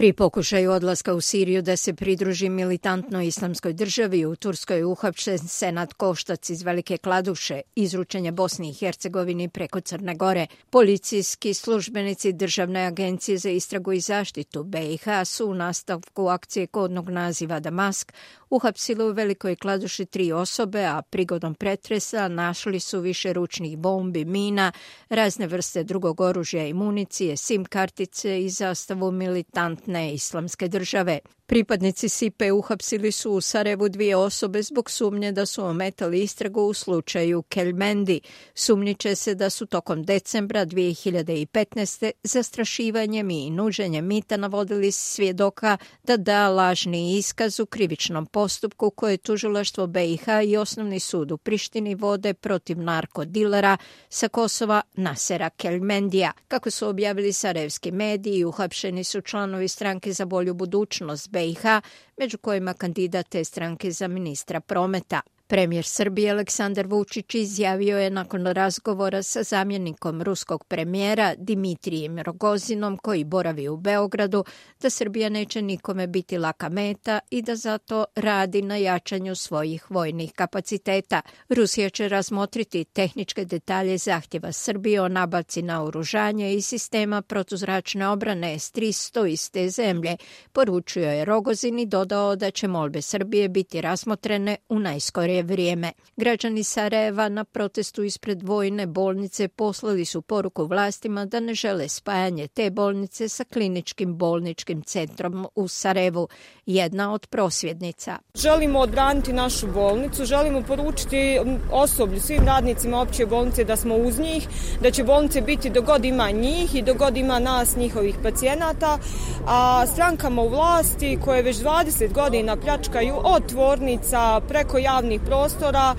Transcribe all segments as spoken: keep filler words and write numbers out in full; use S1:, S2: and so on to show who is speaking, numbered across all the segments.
S1: Pri pokušaju odlaska u Siriju da se pridruži militantnoj islamskoj državi, u Turskoj je uhapšen Senad Koštac iz Velike Kladuše, izručen je Bosni i Hercegovini preko Crne Gore. Policijski službenici Državne agencije za istragu i zaštitu B i H su u nastavku akcije kodnog naziva Damask uhapsili u Velikoj Kladuši tri osobe, a prigodom pretresa našli su više ručnih bombi, mina, razne vrste drugog oružja i municije, sim kartice i zastavu militantne islamske države. Pripadnici S I P-e uhapsili su u Sarajevu dvije osobe zbog sumnje da su ometali istragu u slučaju Kelmendi. Sumnjiče se da su tokom decembra dvije hiljade petnaeste zastrašivanjem i nuđenjem mita navodili svjedoka da da lažni iskaz u krivičnom postupku koje tužilaštvo B i H i Osnovni sud u Prištini vode protiv narkodilera sa Kosova Nasera Kelmendija. Kako su objavili sarajevski mediji, uhapšeni su članovi Stranke za bolju budućnost B i H, među kojima kandidat te stranke za ministra prometa. Premijer Srbije Aleksandar Vučić izjavio je nakon razgovora sa zamjenikom ruskog premijera Dimitrijem Rogozinom, koji boravi u Beogradu, da Srbija neće nikome biti laka meta i da zato radi na jačanju svojih vojnih kapaciteta. Rusija će razmotriti tehničke detalje zahtjeva Srbije o nabavci naoružanja i sistema protuzračne obrane S tristo iz te zemlje, poručio je Rogozin i dodao da će molbe Srbije biti razmotrene u najskorije vrijeme. Građani Sarajeva na protestu ispred vojne bolnice poslali su poruku vlastima da ne žele spajanje te bolnice sa kliničkim bolničkim centrom u Sarajevu, jedna od prosvjednica.
S2: Želimo odbraniti našu bolnicu, želimo poručiti osoblju, svim radnicima opće bolnice da smo uz njih, da će bolnice biti dok god ima njih i dok god ima nas, njihovih pacijenata, a strankama u vlasti koje već dvadeset godina pljačkaju od tvornica preko javnih prostora,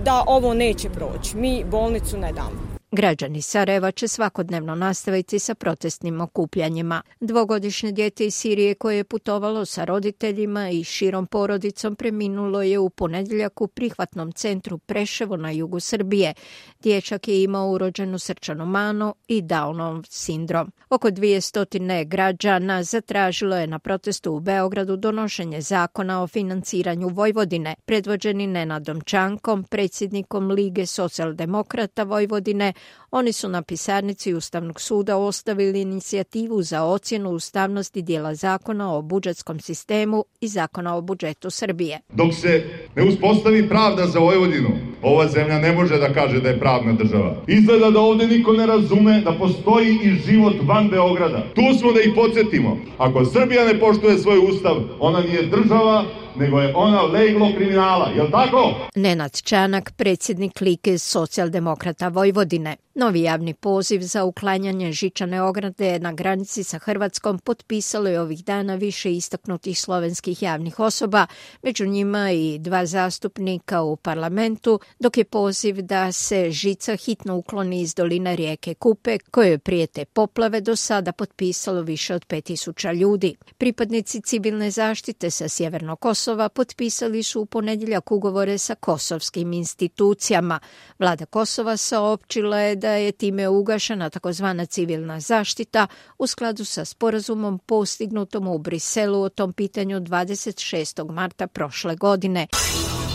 S2: da ovo neće proći. Mi bolnicu ne damo.
S1: Građani Sarajeva će svakodnevno nastaviti sa protestnim okupljanjima. Dvogodišnje dijete iz Sirije koje je putovalo sa roditeljima i širom porodicom preminulo je u ponedjeljak u prihvatnom centru Preševo na jugu Srbije. Dječak je imao urođenu srčanu manu i Downov sindrom. Oko dvjesto građana zatražilo je na protestu u Beogradu donošenje zakona o financiranju Vojvodine. Predvođeni Nenadom Čankom, predsjednikom Lige socijaldemokrata Vojvodine, oni su na pisarnici Ustavnog suda ostavili inicijativu za ocjenu ustavnosti dijela zakona o budžetskom sistemu i zakona o budžetu Srbije.
S3: Dok se ne uspostavi pravda za Vojvodinu, ova zemlja ne može da kaže da je pravna država. Izgleda da ovdje niko ne razume da postoji i život van Beograda. Tu smo da ih podsjetimo. Ako Srbija ne poštuje svoj ustav, ona nije država, nego je ona leglo kriminala, je li tako?
S1: Nenad Čanak, predsjednik Lige socijaldemokrata Vojvodine. Novi javni poziv za uklanjanje žičane ograde na granici sa Hrvatskom potpisalo je ovih dana više istaknutih slovenskih javnih osoba, među njima i dva zastupnika u parlamentu, dok je poziv da se žica hitno ukloni iz doline rijeke Kupe, kojoj prijete poplave, do sada potpisalo više od pet tisuća ljudi. Pripadnici civilne zaštite sa sjevernog Kosova potpisali su u ponedjeljak ugovore sa kosovskim institucijama. Vlada Kosova saopćila je da je time ugašena takozvana civilna zaštita u skladu sa sporazumom postignutom u Briselu o tom pitanju dvadeset šestog marta prošle godine.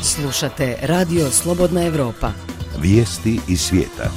S4: Slušate Radio Slobodna Evropa.
S5: Vijesti iz svijeta.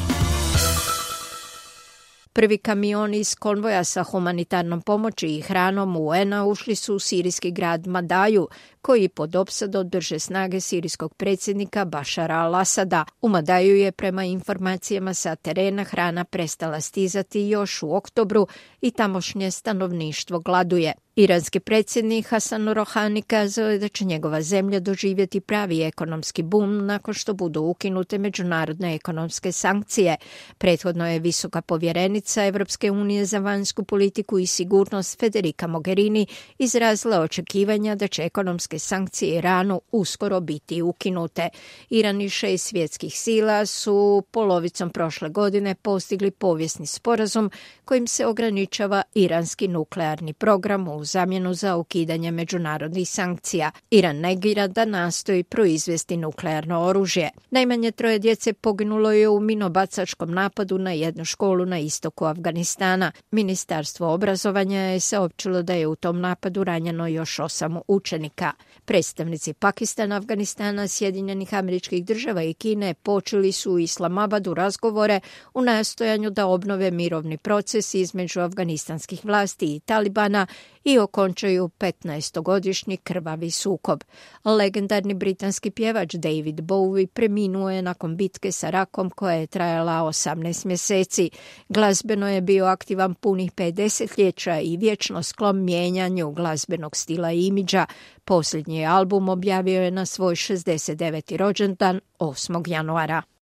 S1: Prvi kamioni iz konvoja sa humanitarnom pomoći i hranom U N-a ušli su u sirijski grad Madaju, koji pod opsadom drže snage sirijskog predsjednika Bašara al-Asada. U Madaju je prema informacijama sa terena hrana prestala stizati još u oktobru i tamošnje stanovništvo gladuje. Iranski predsjednik Hasan Rohani kazao je da će njegova zemlja doživjeti pravi ekonomski bum nakon što budu ukinute međunarodne ekonomske sankcije. Prethodno je visoka povjerenica Evropske unije za vanjsku politiku i sigurnost Federica Mogherini izrazila očekivanja da će ekonomski trgovinske sankcije Iranu uskoro biti ukinute. Iran i šest svjetskih sila su polovicom prošle godine postigli povijesni sporazum kojim se ograničava iranski nuklearni program u zamjenu za ukidanje međunarodnih sankcija. Iran negira da nastoji proizvesti nuklearno oružje. Najmanje troje djece poginulo je u minobacačkom napadu na jednu školu na istoku Afganistana. Ministarstvo obrazovanja je saopćilo da je u tom napadu ranjeno još osam učenika. Predstavnici Pakistana, Afganistana, Sjedinjenih Američkih Država i Kine počeli su u Islamabadu razgovore u nastojanju da obnove mirovni proces između afganistanskih vlasti i Talibana i okončaju petnaestogodišnji krvavi sukob. Legendarni britanski pjevač David Bowie preminuo je nakon bitke sa rakom koja je trajala osamnaest mjeseci. Glazbeno je bio aktivan punih pet desetljeća i vječno sklon mijenjanju glazbenog stila i imidža. Posljednji album objavio je na svoj šezdeset deveti rođendan osmog januara.